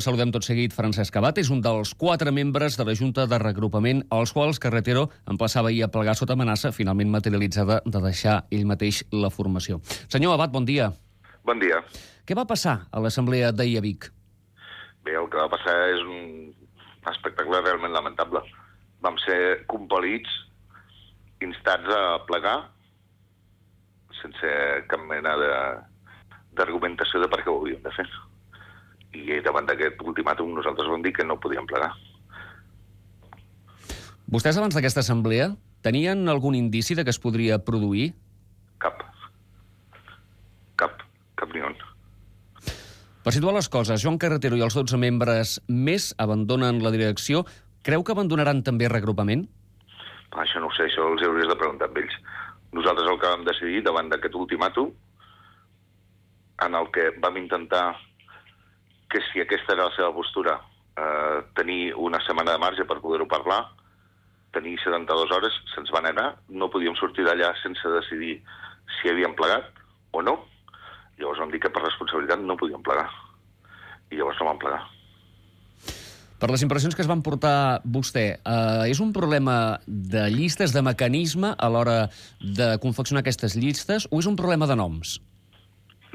Saludem tot seguit Francesc Abat, és un dels 4 membres de la Junta de Reagrupament als quals Carretero emplaçava ahir a plegar sota amenaça, finalment materialitzada de deixar ell mateix la formació. Senyor Abat, bon dia. Bon dia. Què va passar a l'assemblea d'ahir a Vic? Bé, el que va passar és un espectacle realment lamentable. Vam ser compel·lits, instats a plegar, sense cap mena d'argumentació de per què ho havíem de fer. I davant d'aquest ultimàtum nosaltres vam dir que no podíem plegar. Vostès abans d'aquesta assemblea tenien algun indici de que es podria produir? Cap ni un. Per situar les coses, Joan Carretero i els 12 membres més abandonen la direcció. Creu que abandonaran també Reagrupament? Això no ho sé, això els hauries de preguntar amb ells. Nosaltres el que vam decidir davant d'aquest ultimàtum, en el que vam intentar que si aquesta era la seva postura, tenir una setmana de marge per poder-ho parlar, tenir 72 hores, se'ns van anar, no podíem sortir d'allà sense decidir si havíem plegat o no. Llavors vam dir que per responsabilitat no podíem plegar. I llavors no vam plegar. Per les impressions que es van portar vostè, és un problema de llistes, de mecanisme a l'hora de confeccionar aquestes llistes, o és un problema de noms?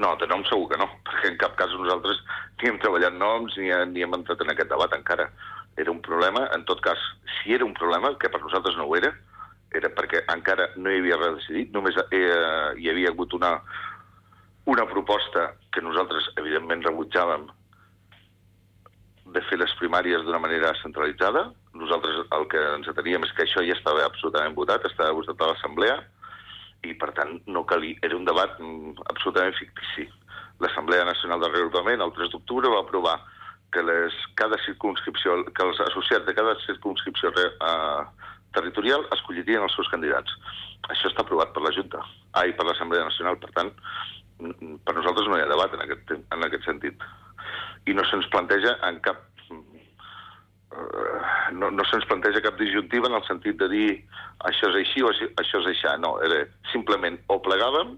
No, de noms segur que no, perquè en cap cas nosaltres ni hem treballat noms ni hem entrat en aquest debat encara. Era un problema, en tot cas, si era un problema, que per nosaltres no ho era perquè encara no hi havia res decidit, només hi havia hagut una proposta que nosaltres evidentment rebutjàvem de fer les primàries d'una manera centralitzada. Nosaltres el que ens ateníem és que això ja estava absolutament votat, estava votat a l'Assemblea, i per tant no calia, era un debat absolutament fictici. L'Assemblea Nacional de Reagrupament el 3 d'octubre va aprovar que cada circumscripció, que els associats de cada circumscripció territorial escollirien els seus candidats. Això està aprovat per la Junta, per l'Assemblea Nacional, per tant, per nosaltres no hi ha debat en aquest sentit. I no se'ns planteja en cap no se'ns planteja cap disjuntiva en el sentit de dir això és així o això és així. No, era simplement o plegàvem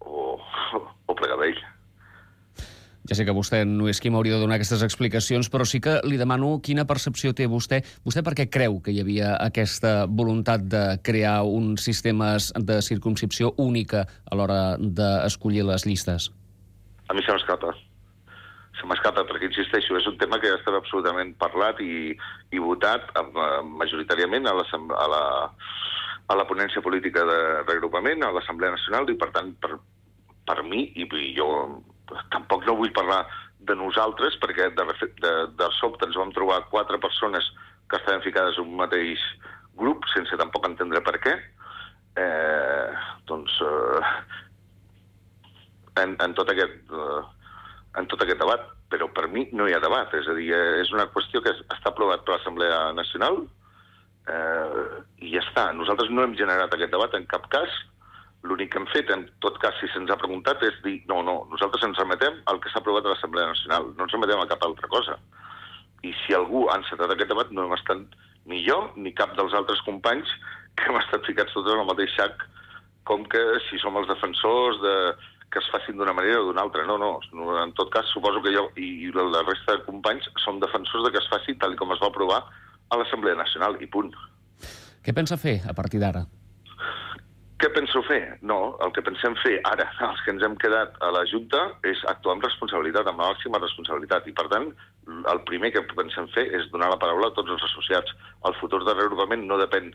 o plegava ell. Ja sé que vostè no és qui m'hauria de donar aquestes explicacions, però sí que li demano quina percepció té vostè. Vostè per què creu que hi havia aquesta voluntat de crear uns sistemes de circumscripció única a l'hora d'escollir les llistes? A mi se m'escapa perquè, insisteixo, és un tema que ja estava absolutament parlat i votat majoritàriament a la ponència política de reagrupament, a l'Assemblea Nacional, i per tant, per mi, i jo tampoc no vull parlar de nosaltres, perquè de sobte ens vam trobar 4 persones que estaven ficades en un mateix grup, sense tampoc entendre per què, en tot aquest debat, però per mi no hi ha debat, és a dir, és una qüestió que està aprovat per l'Assemblea Nacional i ja està. Nosaltres no hem generat aquest debat en cap cas, l'únic que hem fet, en tot cas, si se'ns ha preguntat, és dir, no, nosaltres ens remetem al que s'ha aprovat a l'Assemblea Nacional, no ens remetem a cap altra cosa. I si algú ha encetat aquest debat, no hem estat ni jo ni cap dels altres companys que hem estat ficats tots en el mateix sac, com que si som els defensors que es facin d'una manera o d'una altra. No, en tot cas, suposo que jo i la resta de companys som defensors de que es faci tal com es va aprovar a l'Assemblea Nacional, i punt. Què pensa fer a partir d'ara? Què penso fer? No, el que pensem fer ara, els que ens hem quedat a la Junta, és actuar amb responsabilitat, amb la màxima responsabilitat. I, per tant, el primer que pensem fer és donar la paraula a tots els associats. El futur de reagrupament no depèn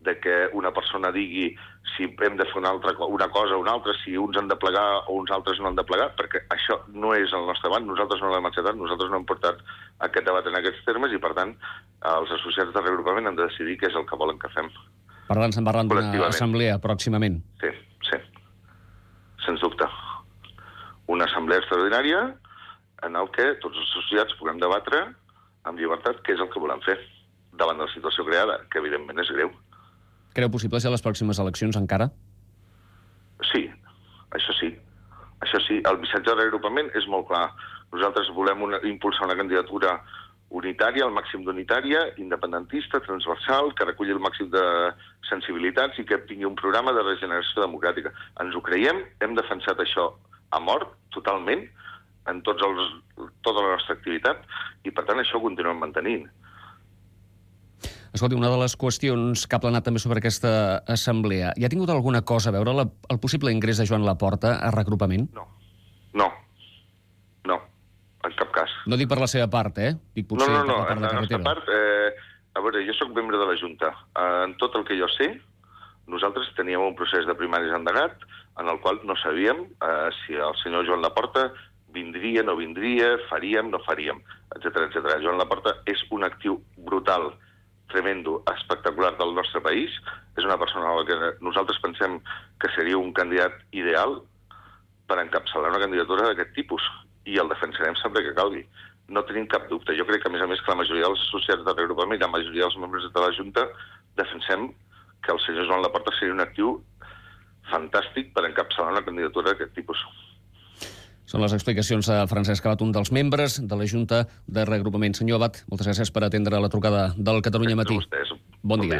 de que una persona digui si hem de fer una cosa o una altra, si uns han de plegar o uns altres no han de plegar, perquè això no és el nostre debat, nosaltres no l'hem acceptat, nosaltres no hem portat aquest debat en aquests termes i, per tant, els associats de reagrupament han de decidir què és el que volen que fem. Per tant, se'n parlen d'una assemblea pròximament. Sí, sens dubte. Una assemblea extraordinària en el que tots els associats puguem debatre amb llibertat què és el que volem fer davant de la situació creada, que evidentment és greu. Creu possible ser les pròximes eleccions encara? Sí, això sí. El missatge de reagrupament és molt clar. Nosaltres volem impulsar una candidatura unitària, al màxim d'unitària, independentista, transversal, que reculli el màxim de sensibilitats i que tingui un programa de regeneració democràtica. Ens ho creiem, hem defensat això a mort, totalment, en tota la nostra activitat i, per tant, això ho continuem mantenint. Escolti, una de les qüestions que ha planat també sobre aquesta assemblea, hi ha tingut alguna cosa a veure el possible ingrés de Joan Laporta a regrupament? No, en cap cas. No dic per la seva part, Dic potser per la part de la nostra carretera. part, a veure, jo sóc membre de la Junta. En tot el que jo sé, nosaltres teníem un procés de primaris endegat en el qual no sabíem si el senyor Joan Laporta vindria, no vindria, faríem, no faríem, etc. Joan Laporta és un actiu brutal, tremendo, espectacular del nostre país. És una persona a la que nosaltres pensem que seria un candidat ideal per encapçalar una candidatura d'aquest tipus i el defensarem sempre que calgui. No tenim cap dubte. Jo crec que, a més, que la majoria dels associats de regrupament i la majoria dels membres de la Junta defensem que el senyor Joan Laporta seria un actiu fantàstic per encapçalar una candidatura d'aquest tipus. Són les explicacions de Francesc Abat, un dels membres de la Junta de Reagrupament. Senyor Abat, moltes gràcies per atendre la trucada del Catalunya Matí. Gràcies a vostès. Bon dia.